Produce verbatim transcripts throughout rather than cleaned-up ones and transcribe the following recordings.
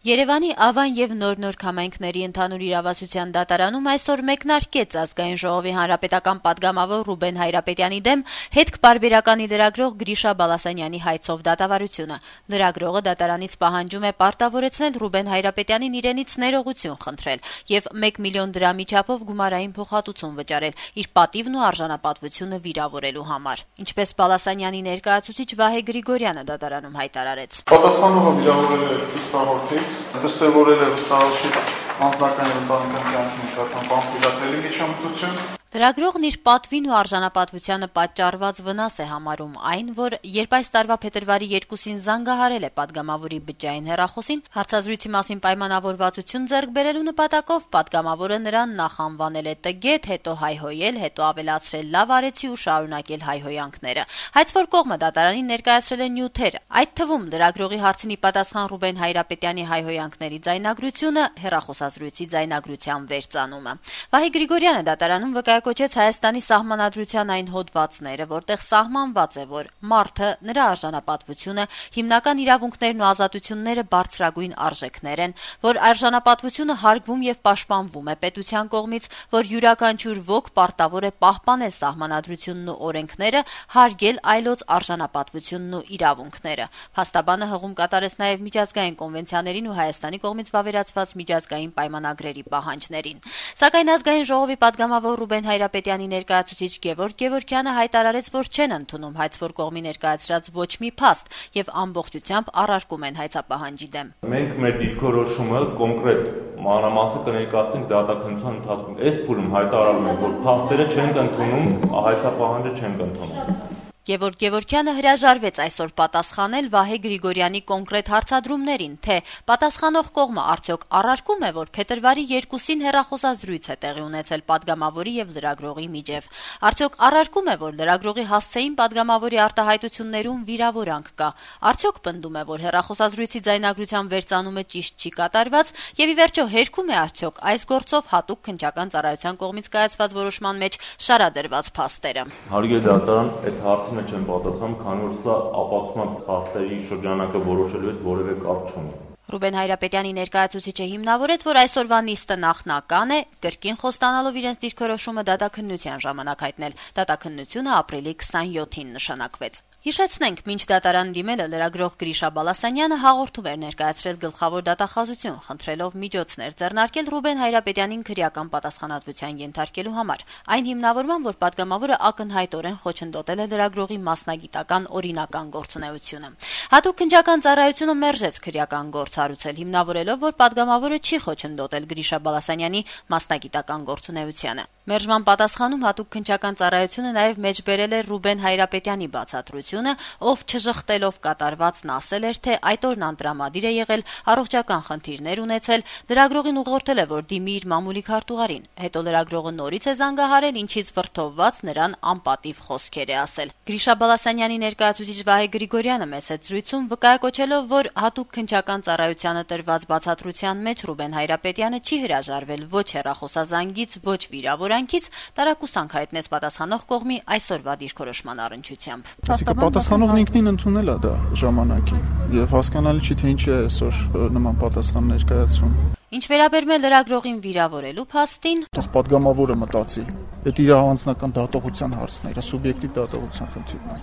Երևանի Ավան եւ Նոր-Նոր քամայնքների ընդհանուր իրավասության դատարանում այսօր մեկնարկեց ազգային ժողովի հանրապետական պատգամավոր Ռուբեն Հայրապետյանի դեմ հետք-պարբերականի լրագրող Գրիշա Բալասանյանի հայցով դատավարությունը։ Լրագրողը դատարանից պահանջում է պարտավորեցնել Ռուբեն Հայրապետյանին իրենից ներողություն խնդրել եւ մեկ միլիոն դրամի չափով գումարային փոխհատուցում վճարել իր պատիվն ու արժանապատվությունը վիրավորելու համար։ Ինչպես Բալասանյանի ներկայացուցիչ Վահե Գրիգորյանը դատարանում հայտարարեց։ Պատասխանողը վիրավորել է իսկորտից դրսևորել է վստահությունից անձնական եւ ընտանեկան կյանքի նկատմամբ անփիլատելի միջամտություն։ Լրագրողն իր պատվին ու արժանապատվությանը պատճառված վնաս է համարում այն, որ երբ այս տարվա փետրվարի երկուսին զանգահարել է պատգամավորի բջջային հեռախոսին, հարցազրույցի մասին պայմանավորվածություն ձեռք բերելու նպատակով պատգամավորը նրան նախ անվանել է տգետ, հետո հայհոյել, հետո ավելացրել լավ արեցի ու շարունակել հայհոյանքները։ Հայցվոր կողմը դատարանին ներկայացրել է նյութեր, այդ թվում լրագրողի հարցին պատասխան Ռուբեն Հայրապետյանի հայհոյանքների ձայնագրությունը, հեռախոսազրույցի ձայնագրության վերծանումը։ Վահե Գրիգորյանը դատարանում կոչեց Հայաստանի սահմանադրության այն հոդվածները, որտեղ սահմանված է, որ մարդը, նրա արժանապատվությունը, հիմնական իրավունքներն ու ազատությունները բարձրագույն արժեքներ են, որ արժանապատվությունը հարգվում եւ պաշտպանվում է պետության կողմից, որ յուրաքանչյուր ոք պարտավոր է պահպանել սահմանադրությունն ու օրենքները, հարգել այլոց արժանապատվությունն ու իրավունքները։ Փաստաբանը հղում կատարեց նաեւ միջազգային կոնվենցիաներին ու Հայաստանի կողմից վավերացված միջազգային պայմանագրերի պահանջներին։ Սակայն ազգային ժողովի պատգամավոր Ռուբեն Հայրապետյանի ներկայացուցիչ Գևորգ Գևորգյանը հայտարարեց, որ չեն ընդունում հայցվոր կողմի ներկայացրած ոչ մի փաստ եւ ամբողջությամբ առարկում են հայցապահանջի դեմ։ Մենք մեր դիրքորոշումը կոնկրետ մանրամասը կներկայացնենք դատաքննության ընթացքում։ Այս փուլում հայտարարում ենք, որ փաստերը չենք ընդունում, հայցապահանջը չենք ընդունում։ Գևորգ Գևորգյանը հրաժարվեց այսօր պատասխանել Վահե Գրիգորյանի կոնկրետ հարցադրումներին, թե պատասխանող կողմը արդյոք առարկում է, որ փետրվարի երկուսին հեռախոսազրույց է տեղի ունեցել պատգամավորի եւ լրագրողի միջեւ։ Արդյոք առարկում է, որ լրագրողի հասցեին պատգամավորի արտահայտություններում վիրավորանք կա։ Արդյոք պնդում է, որ հեռախոսազրույցի ձայնագրության վերծանումը ճիշտ չի կատարված եւ ի վերջո հերքում է արդյոք այս գործով հատուկ քննչական ծառայության կողմից կայացված որոշման մեջ շարադրված փաստերը։ Հարգելի դատարան, այդ հարցը չեմ պատասխանում, քանի որ սա ապացուցման փաստերի շրջանակը որոշելու հետ որևէ կապ չունի։ Ռուբեն Հայրապետյանի ներկայացուցիչը հիմնավորեց, որ այսօրվա նիստը նախնական է, կրկին խոստանալով իրենց դիրքորոշումը դատաքննության ժամանակ հայտնել։ Դատաքննությունը ապրիլի քսանյոթին նշանակվեց։ Հիշեցնենք, մինչ դատարան դիմելը լրագրող Գրիշա Բալասանյանը հաղորդում էր ներկայացրել գլխավոր դատախազություն, խնդրելով միջոցներ ձեռնարկել Ռուբեն Հայրապետյանին քրեական պատասխանատվության ենթարկելու համար։ Այն հիմնավորման, որ պատգամավորը ակնհայտորեն խոչընդոտել է լրագրողի մասնագիտական օրինական գործունեությունը։ Հատուկ քննչական ծառայությունը մերժեց քրեական գործ հարուցել, հիմնավորելով, որ պատգամավորը չի խոչընդոտել Գրիշա Բալասանյանի մասնագիտական գործունեությանը։ Մերժման պատասխանում հատուկ քննչական ծառայությունը նաև մեջբերել է Ռուբեն Հայրապետյանի բացատրությունը, ով չժխտելով կատարվածն ասել էր, թե այդ օրն անտրամադիր է եղել, առողջական խնդիրներ ունեցել, լրագրողին ուղղորդել է, որ դիմի իր մամուլի քարտուղարին։ Հետո լրագրողը նորից է զանգահարել, ինչից վրդովված նրան անպատիվ խոսքեր է ասել։ Գրիշա Բալասանյանի ներկայացուցիչ Վահե Գրիգորյանը մեծ զրույցում վկայակոչելով, որ հատուկ քննչական ծառայությանը տրված բացատրության մեջ Ռուբեն Հայրապետյանը չի հրաժարվել ոչ հեռախոսազանգից, ոչ վիրավորանքից, տարակուսանք հայտնեց պատասխանող կողմի այսօրվա դիրքորոշման առնչությամբ։ Այսինքն պատասխանողն ինքնին ընդունել է դա ժամանակին եւ հասկանալի չի թե ինչի է այսօր նման պատասխան ներկայացվում։ Ինչ վերաբերում է լրագրողին վիրավորելու փաստին, թող պատգամավորը մտածի։ Դա իր անձնական դատողության հարցն է, իր սուբյեկտիվ դատողության խնդիրն է։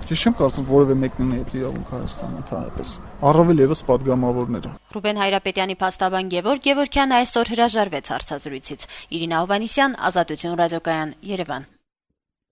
Ճիշտ չեմ կարծում որևէ մեկն ունի այդ իրավունք Հայաստանում ընդհանրապես։ Առավել եւս պատգամավորները։ Ռուբեն Հայրապետյանի փաստաբան Գևորգ Գևորգյանը այսօր հրաժարվեց հարցազրույցից։ Իրինա Հովհաննիսյան, Ազատություն ռադիոկայան, Երևան։